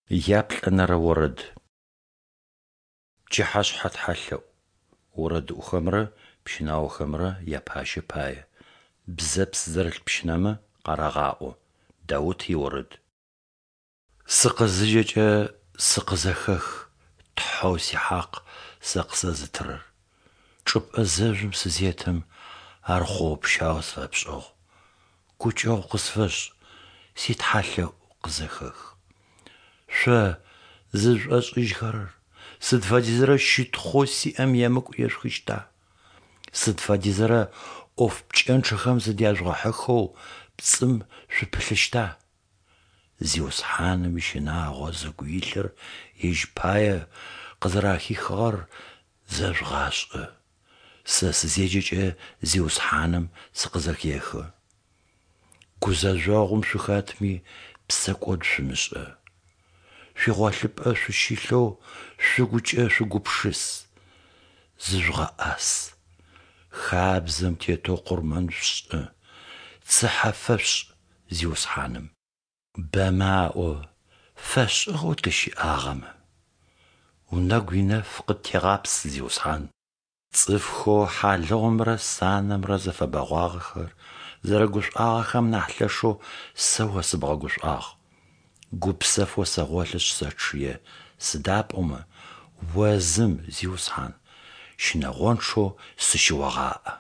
Яплӏэнэрэ орэд. Пчыхьэшъхьэ тхьэлъэӏу. Орэдыӏохэмрэ пщынаохэмрэ япащэ пае. Бзэпс зэрылъ пщынэмэ къарагъаӏо. Даут иорэд. Сыкъызыджэкӏэ, сыкъызэхэх, Тхьэу сихьакъ сэ къысэзытырэр. Чӏыпӏэ зэжъум сызетым, ар хъоопщау сфэпшӏыгъ. Гукӏэгъу къысфэшӏ, ситхьалъэӏу къызэхэх. Шъо, зызшӏошӏыжьхэрэр, сыд фэдизрэ щытхъоу сиӏэм емыкӏу ешъухыщта? Сыд фэдизрэ ӏоф пкӏэнчъэхэм зыдяжъугъэхьыхэу пцӏым шъупылъыщта? Зиусхьаным ищынагъо зыгу илъыр Ежь пае къызэрэхихыгъэр зэжъугъашӏэ. Сэ сызеджэкӏэ Зиусхьаным сыкъызэхехы. Гузэжъогъум шъухэтми, псэкӏод шъумышӏэ. Шъуигъолъыпӏэ шъущылъэу шъугукӏэ шъуегупшыс, зыжъугъэӏас. Хабзэм тетэу къурмэн шъушӏы, цыхьэ фэшъушӏ Зиусхьаным. Бэмэ аӏо: "Фэшӏыгъэу тыщыӏагъэмэ!" Унэгу инэф къыттегъапс, Зиусхьан. Цӏыфхэу хьалыгъумрэ санэмрэ зыфэбэгъуагъэхэр зэрэгушӀуагъэхэм нахь лъэшэу сэ О сыбгъэгушӀуагъ. Гупсэфэу сэгъолъышъ сэчъые, сыда пӏомэ О зым, Зиусхьан, щынэгъончъэу сыщыогъаӏэ.